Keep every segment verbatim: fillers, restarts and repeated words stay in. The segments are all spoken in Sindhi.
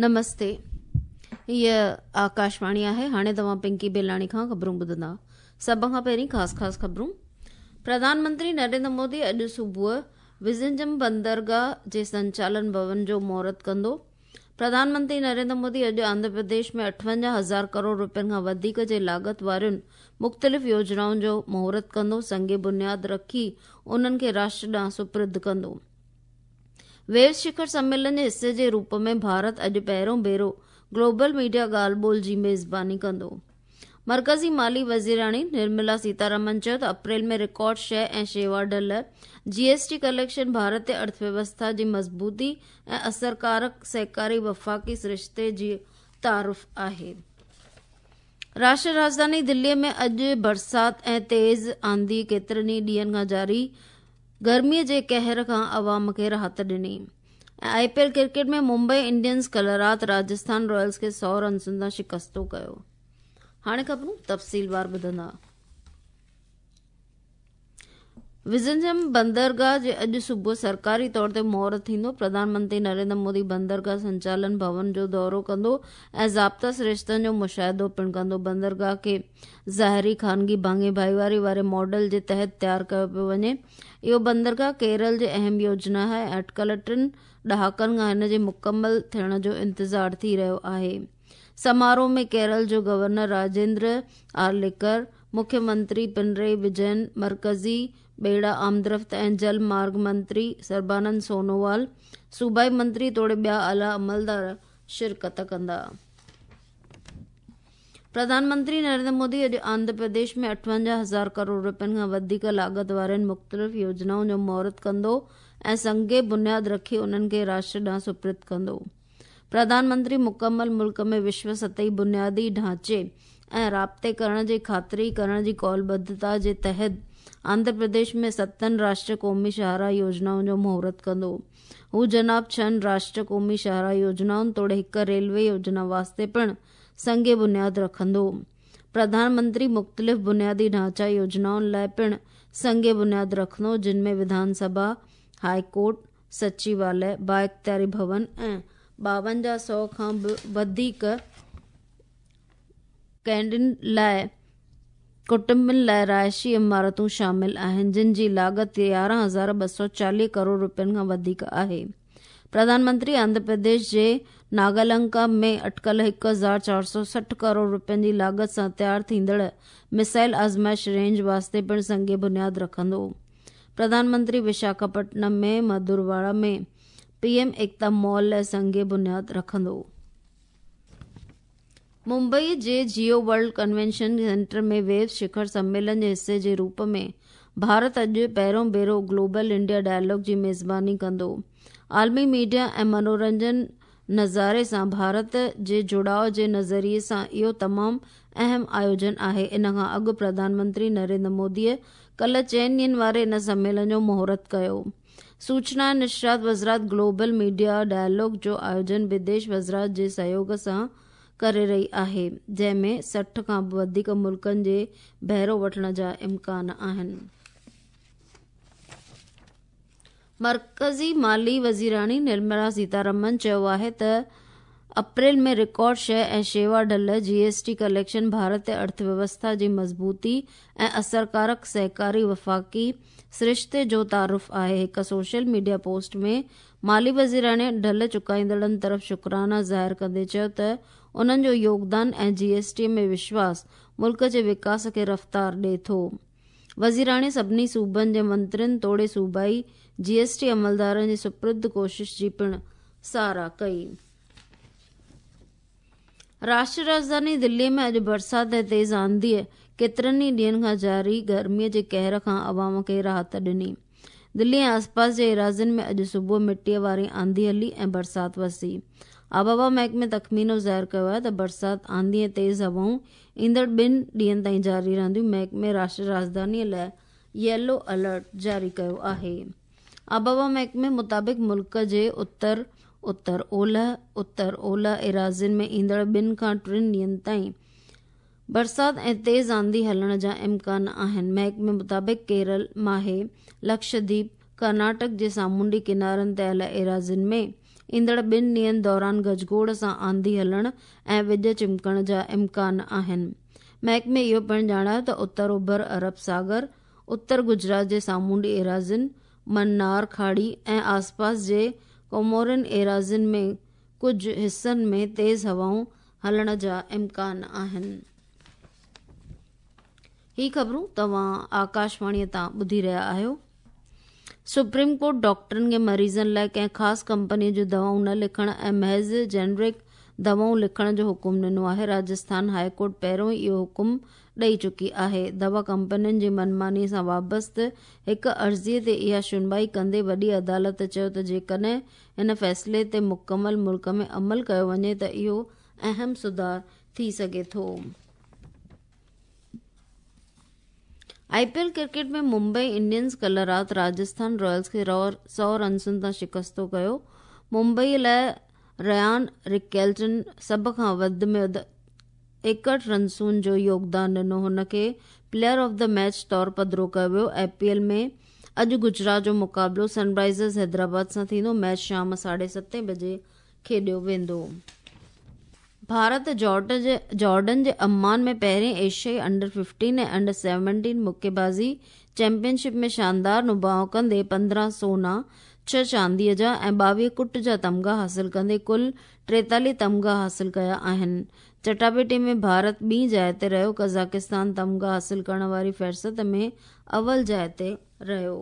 نمستي، هيء آڪاشواڻي آهي. هاڻي توهان پنڪي بيلاڻي کان خبرون ٻڌندا. سڀ کان پهرين خاص خاص خبرون. پرڌان منتري نريندر مودي اڄ صبح وزنجم بندرگاهه جي سنچالن ڀون جو مهورت ڪندو. پرڌان منتري نريندر مودي اڄ آنڌرا پرديش ۾ اٺونجاهه هزار ڪروڙ روپين کان وڌيڪ جي لاڳت وارين مختلف يوجنائن جو مهورت ڪندو، سنگ بنياد رکي انهن کي راشٽر ڏانهن سپرد ڪندو. ويوز شکر سميلن جي حصي جي روپ ۾ ڀارت اڄ پهريون ڀيرو گلوبل ميڊيا ڳالهه ٻولهه جي ميزباني ڪندو. مرڪزي مالي وزيراڻي نرملا سيتارامن چيو ته اپريل ۾ رڪارڊ شيء ۽ شيوا ڍل جي ايس ٽي ڪليڪشن ڀارتي ارٿويوسٿا جي مضبوطي ۽ اثرڪارڪ سهڪاري وفاقي سرشتي جي تعارف آهي. راشٽر راڄڌاني دلي ۾ اڄ برسات ۽ تيز آنڌي ڪيترن ئي ڏينهن کان جاري گرمي جي قهر کان عوام کي راحت ڏني. ۽ I P L cricket ۾ Mumbai Indians ڪلهه رات راجسٿان رائلز کي سؤ رنسن تان شڪستو ڪيو. هاڻي خبرون تفصيلوار ٻڌندا. وزنجم بندرگاهه جي اڄ صبح سرڪاري طور تي مهورت ٿيندو. پرڌان منتري نريندر مودي بندرگاهه سنچالن ڀون جو دورو ڪندو ۽ ضابطا سرشتن جو مشاهدو پڻ ڪندو. بندرگاهه کي ظاهري خانگي ڀاڱي ڀائيواري واري ماڊل جي تحت تيار ڪيو پيو وڃي. اهو بندرگاهه ڪيرل جي اهم يوجنا آهي ۽ اٽڪل ٽن ڏهاڪن کان هن جي مڪمل ٿيڻ جو انتظار ٿي رهيو آهي. سماروهه ۾ ڪيرل جو گورنر راجيندر آرليڪر، مکيه منتري پنرائي وجين، مرڪزي ٻيڙا آمدرفت ۽ جل مارگ منتري سربانند سونووال، صوبائي منتري توڙي ٻيا اعليٰ عملدار شرڪت ڪندا. پرڌان منتري نريندر مودي اڄ آنڌرا پرديش ۾ اٺونجاهه هزار ڪروڙ روپين کان وڌيڪ لاڳت وارين مختلف يوجنائن جو مهورت ڪندو ۽ سنگ بنياد رکي انهن کي راشٽر ڏانهن سپرد ڪندو. پرڌان منتري مڪمل ملڪ ۾ وشو سطحي بنيادي ڍانچي ۽ رابطي ڪرڻ جي خاطري ڪرڻ جي قولبڌتا جي تحت آنڌرا پرديش ۾ ستن راشٽر قومي شاهراهه يوجنائن جو مهورت ڪندو. هو جناب ڇهن راشٽر قومي شاهراهه يوجنائن توڙي هڪ ريلوي يوجنا واسطي پڻ سنگ بنياد رکندو. پرڌان منتري مختلف بنيادي ڍانچا يوجنائن لاءِ پڻ سنگ بنياد رکندو، جن ۾ وڌان سڀا، هاءِ ڪورٽ، سچيواليه، بااختياري ڀون ۽ ٻاونجاهه سؤ کان به وڌيڪ قيدين لاءِ ڪٽنبن لاءِ رهائشي عمارتون شامل آهن، جن جي لاڳت يارهن هزار ٻه سؤ چاليهه ڪروڙ روپين کان وڌيڪ آهي. پرڌان منتري آنڌرا پرديش جي ناگالنڪا ۾ اٽڪل هڪ هزار چار سؤ سٺ ڪروڙ روپين جي لاڳت سان تيار ٿيندڙ مسائل آزمائش رينج واسطي پڻ سنگ بنياد رکندو. پرڌان منتري وشاکاپٽنم ۾ مڌورواڙا ۾ پي ايم ايڪتا مال لاءِ سنگ بنياد رکندو. ممبئي جي جيو ورلڊ ڪنوينشن سينٽر ۾ ويوز شکر سميلن جي حصي جي روپ ۾ ڀارت اڄ پهريون ڀيرو گلوبل انڊيا ڊائلاگ جي ميزباني ڪندو. عالمي ميڊيا ۽ منورنجن نظاري سان ڀارت جي جڙاءُ جي نظريي سان اهو تمام اهم آيوجن آهي. ان کان اڳ پرڌان منتري نريندر موديءَ ڪلهه چئن ڏينهن واري ان سميلن جو مهورت ڪيو. سوچنا ۽ نشرات وزارت گلوبل ميڊيا ڊائلاگ جو آيوجن وديش وزارت جي سهيوگ سان ڪري رهي آهي، جنهن ۾ سٺ کان به وڌيڪ ملڪن جي بهرو وٺڻ جا امڪان آهن. مرڪزي مالي وزيراڻي نرملا سيتارامن چيو آهي ته اپريل ۾ رڪارڊ شيء ۽ شيوا ڍل جي ايس ٽي ڪليڪشن ڀارتي ارٿويوسٿا جي مضبوطي ۽ اثرڪارڪ سهڪاري وفاقي سرشتي جو تعارف آهي. هڪ سوشل ميڊيا پوسٽ ۾ مالي وزيراڻي ڍل چڪائيندڙن طرف شڪرانا ظاهر ڪندي چيو ته انهن جو يوگدان ۽ جي ايس ٽي ۾ وشواس ملڪ جي وڪاس کي رفتار ڏئي ٿو. وزيراڻي سڀني صوبن جي منترين توڙي صوبائي جي ايس ٽي عملدارن جي سپرد ڪوشش جي پڻ ساراهه ڪئي. راشٽر راڄڌاني دلي ۾ اڄ برسات ۽ تيز آنڌيءَ ڪيترن ئي ڏينهن کان جاري گرميءَ جي قهر کان عوام کي راحت ڏني. دلي ۽ آسپاس جي ايراضين ۾ اڄ صبح مٽيءَ واري آنڌي هلي ۽ برسات وسي. آبهوا محڪمي تخمينو ظاهر ڪيو آهي ته برسات، آنڌي ۽ تيز هوائون ايندڙ ٻن ڏينهن تائين جاري رهنديون. محڪمي راشٽر راڄڌانيءَ لاءِ ييلو الرٽ جاري ڪيو آهي. آبهوا محڪمي مطابق ملڪ جي اتر، اتر اولهه، اتر اولهه ايراضين ۾ ايندڙ ٻن کان ٽن ڏينهن تائين برسات ۽ تيز آنڌي هلڻ جا امڪان آهن. محڪمي مطابق ڪيرل، ماهي، لڪشديپ، ڪرناٽڪ جي سامونڊي ڪنارن تي آيل ايراضين ۾ ايندڙ ٻن ڏينهن دوران گجگوڙ سان آنڌي هلڻ ۽ وڄ چمڪڻ جا امڪان آهن. محڪمي اهو پڻ ڄاڻايو ته اتر اوڀر عرب ساگر، اتر گجرات جي سامونڊي ايراضين، منار کاڙي ۽ آسپاس جي ڪومورين ايراضين ۾ ڪجهه حصن ۾ تيز هوائون هلڻ جا امڪان آهن. هي خبرون توهان آڪاشواڻيء تان ٻڌي رهيا آهيو. سپريم ڪورٽ ڊاڪٽرن کي مريضن لاءِ ڪنهن خاص ڪمپنيءَ جون دوائون نه لکڻ ۽ محض جينرڪ دوائون لکڻ جو حڪم ڏنو آهي. راجسٿان هاءِ ڪورٽ پهريون ئي اهو حڪم ڏئي چڪي آهي. دوا ڪمپنين جي منماني سان وابسته هڪ عرضيءَ تي اها شنوائي ڪندي وڏي عدالت چيو ته جيڪڏهن هن فيصلي تي مڪمل ملڪ ۾ عمل ڪيو وڃي ته اهو اهم سڌار ٿي سگهي ٿو. I P L cricket ۾ Mumbai Indians ڪلهه رات راجسٿان رائلز کي سؤ رنسن تان شڪستو ڪيو. ممبئي لاءِ ريان رڪيلٽن سڀ کان وڌ ۾ وڌ ايڪهٺ رنسن جو يوگدان ڏنو. هن کي پليئر آف the match طور پڌرو ڪيو ويو. I P L ۾ اڄ گجرات جو مقابلو سن رائزرز حيدرآباد سان ٿيندو. ميچ شام ساڍي ستين بجي کيڏيو ويندو. ڀارت جارڊن جي عمان ۾ پهرين ايشيائي انڊر ففٽين ۽ انڊر سيونٽين مڪي بازي چيمپئن شپ ۾ شاندار نڀاءُ ڪندي پندرهن سونا، ڇهه چانديءَ جا ۽ ٻاويهه ڪٽ جا تمغا حاصل ڪندي ڪل ٽيتاليهه تمغا حاصل ڪيا آهن. چٽاڀيٽي ۾ ڀارت ٻي جاءِ تي رهيو. قزاقستان تمغا حاصل ڪرڻ واري فهرست ۾ اول جاءِ تي رهيو.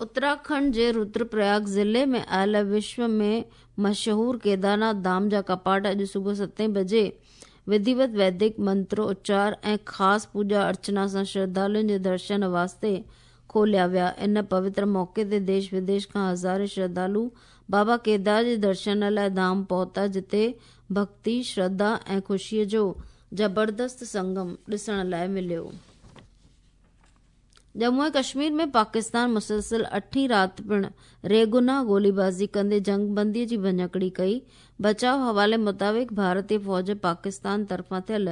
اتراکنڊ جي ردرپرياگ ضلعي ۾ آيل وشو ۾ مشهور ڪيدارناٿ ڌام جا ڪپاٽ اڄ صبح ستين بجي وڌيوت ويدڪ منتروچار ۽ خاص پوڄا ارچنا سان شرڌالن جي درشن واسطي کوليا ويا. ان پوتر موقعي تي ديش وديش کان هزارين شرڌالو بابا ڪيدار جي درشن لاءِ ڌام پهتا، جتي ڀڪتي، شرڌا ۽ خوشيءَ جو زبردست سنگم ڏسڻ لاءِ مليو. ڄمون ۽ ڪشمير ۾ پاڪستان مسلسل اٺين رات پڻ ريگناهه گوليبازي ڪندي جنگبنديءَ جي ڀڃڪڙي ڪئي. بچاءُ حوالي مطابق ڀارتي فوج پاڪستان طرفان ٿيل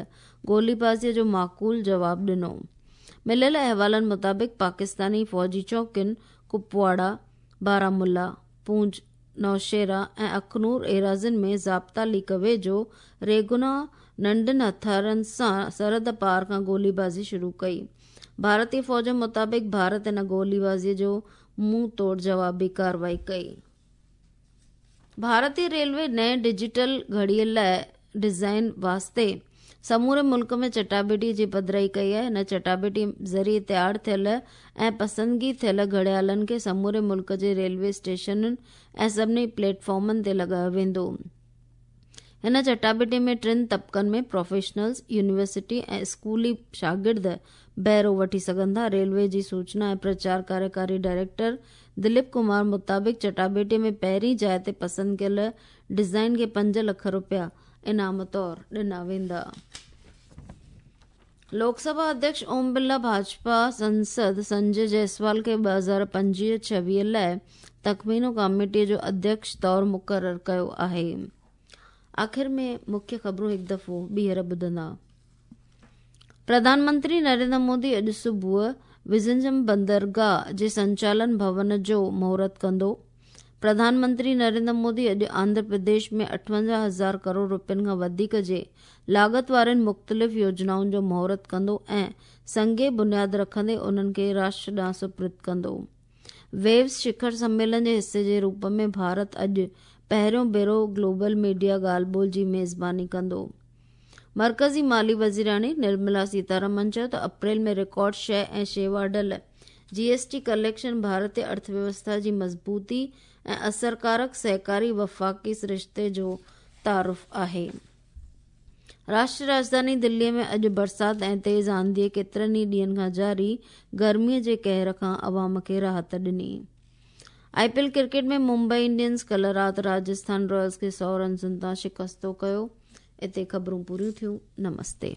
گوليبازيءَ جو معقول جواب ڏنو. مليل احوالن مطابق پاڪستاني فوجي چوڪين ڪپواڙا، بارامولا، پونڇ، نوشهرا ۽ اکنور ايراضين ۾ ضابطا ليڪ ويجهو ريگناهه ننڍن هٿيارن سان سرحد پار کان گوليبازي شروع ڪئي. ڀارتي فوج مطابق ڀارت ان گوليبازيءَ جو منهن توڙ جوابي ڪارروائي ڪئي. ڀارتي ريلوي نئين ڊجيٽل گهڙيءَ لاءِ ڊزائين واسطي سموري ملڪ ۾ چٽاڀيٽي جي پڌرائي ڪئي آهي. هن چٽاڀيٽي ذريعي تيار ٿيل ۽ پسندگي ٿيل گهڙيالن کي سموري ملڪ جي ريلوي اسٽيشنن ۽ سڀني پليٽ فارمن تي لڳايو ويندو. هن چٽاڀيٽي ۾ ٽن طبقن ۾ پروفيشنلز، يونيورسٽي ۽ اسڪولي شاگرد بهرو وٺي سگهندا. ريلوي جي سوچنا ۽ پرچار ڪاريڪاري ڊائريڪٽر دليپ ڪمار مطابق چٽاڀيٽي ۾ پهرين جاءِ تي پسند ڪيل ڊزائين کي پنج لک رپيا انعام طور ڏنا ويندا. لوڪ سڀا اڌيڪش اوم برلا ڀاجپا سنسد سنجي جئسوال کي ٻه هزار پنجويهه ڇويهه لاءِ تخمينو ڪاميٽيءَ جو اڌيڪش طور مقرر ڪيو آهي. آخر ۾ مکيه خبرون هڪ دفعو ٻيهر ٻڌندا. پرڌان منتري نريندر مودي اڄ صبح وزنجم بندرگاهه جي سنچالن ڀون جو مهورت ڪندو. پرڌان منتري نريندر مودي اڄ آنڌرا پرديش ۾ اٺونجاهه هزار ڪروڙ رپين کان وڌيڪ جي لاڳت وارين مختلف يوجنائن جو مهورت ڪندو ۽ سنگ بنياد رکندي انهن کي راشٽر ڏانهن سپرد ڪندو. ويوز شکر سميلن جي حصي جي روپ ۾ ڀارت اڄ پهريون ڀيرو گلوبل ميڊيا ڳالهه ٻولهه جي ميزباني ڪندو. مرڪزي مالي وزيراڻي نرملا سيتارمن چيو ته اپريل ۾ رڪارڊ شيءِ ۽ شيوا ڍل جي ايس ٽي ڪليڪشن ڀارتي ارٿويوسٿا جي مضبوطي ۽ اثرڪارڪ سهڪاري وفاقي سرشتي جو تعارف آهي. راشٽر راڄڌاني دليءَ ۾ اڄ برسات ۽ تيز آنڌيءَ ڪيترن ئي ڏينهن کان جاري گرميءَ جي قهر کان عوام کي راحت ڏني. I P L cricket ۾ Mumbai Indians ڪلهه رات راجسٿان رائلز کي سؤ رنسن تان شڪستو ڪيو. اتي خبرون پوريون ٿيون. نمستي.